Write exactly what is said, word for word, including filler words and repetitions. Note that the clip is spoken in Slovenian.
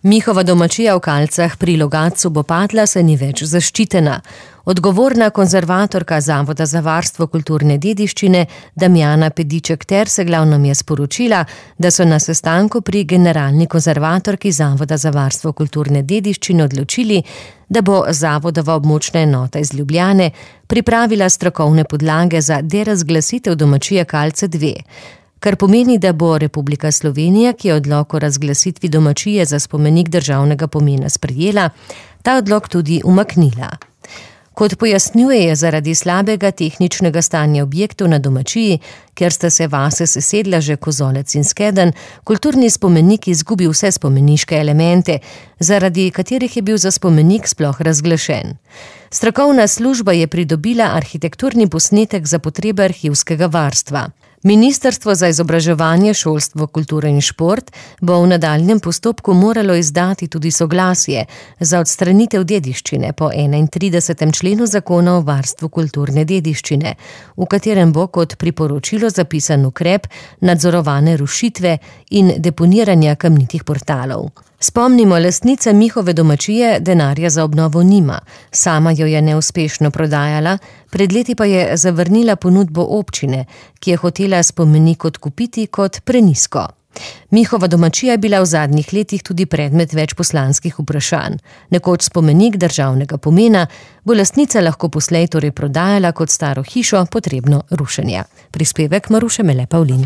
Mihova domačija v Kalcah pri Logatcu bo padla, se ni več zaščitena. Odgovorna konzervatorka Zavoda za varstvo kulturne dediščine Damjana Pediček-Terseglav nam je sporočila, da so na sestanku pri generalni konzervatorki Zavoda za varstvo kulturne dediščine odločili, da bo zavodova območna enota iz Ljubljane pripravila strokovne podlage za derazglasitev domačije Kalce dve. Kar pomeni, da bo Republika Slovenija, ki je odlok o razglasitvi domačije za spomenik državnega pomena sprejela, ta odlok tudi umaknila. Kot pojasnjuje, je zaradi slabega tehničnega stanja objektov na domačiji, ker sta se vase sesedla že Kozolec in Skedenj, kulturni spomenik izgubil vse spomeniške elemente, zaradi katerih je bil za spomenik sploh razglašen. Strokovna služba je pridobila arhitekturni posnetek za potrebe arhivskega varstva. Ministrstvo za izobraževanje, šolstvo, kulturo in šport bo v nadaljnjem postopku moralo izdati tudi soglasje za odstranitev dediščine po enaintridesetem členu Zakona o varstvu kulturne dediščine, v katerem bo kot priporočilo zapisan ukrep nadzorovane rušitve in deponiranja kamnitih portalov. Spomnimo, lastnica Mihove domačije denarja za obnovo nima, sama jo je neuspešno prodajala, pred leti pa je zavrnila ponudbo občine, ki je hotela spomenik odkupiti kot prenizko. Mihova domačija je bila v zadnjih letih tudi predmet več poslanskih vprašanj. Nekoč spomenik državnega pomena bo lastnica lahko poslej torej prodajala kot staro hišo, potrebno rušenja. Prispevek Maruše Mele Pavlin.